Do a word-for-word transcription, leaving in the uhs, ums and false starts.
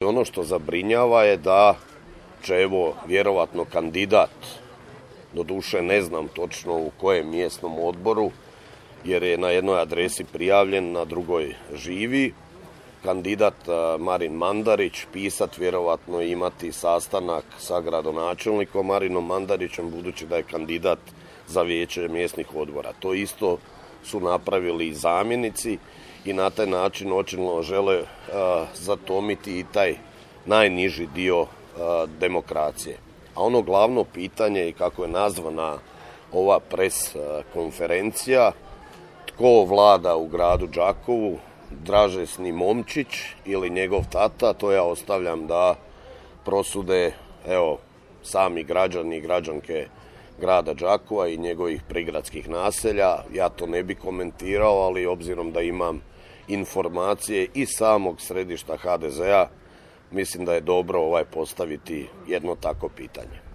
Ono što zabrinjava je da će evo vjerovatno kandidat, doduše ne znam točno u kojem mjesnom odboru, jer je na jednoj adresi prijavljen, na drugoj živi, kandidat Marin Mandarić pisat vjerovatno imati sastanak sa gradonačelnikom Marinom Mandarićem, budući da je kandidat za vijeće mjesnih odbora. To isto su napravili i zamjenici i na taj način očigledno žele uh, zatomiti i taj najniži dio uh, demokracije. A ono glavno pitanje i kako je nazvana ova pres uh, konferencija, tko vlada u gradu Đakovu, Dražesni Momčić ili njegov tata, to ja ostavljam da prosude evo sami građani i građanke grada Đakova i njegovih prigradskih naselja. Ja to ne bi komentirao, ali obzirom da imam informacije iz samog središta ha de zea, mislim da je dobro ovaj postaviti jedno tako pitanje.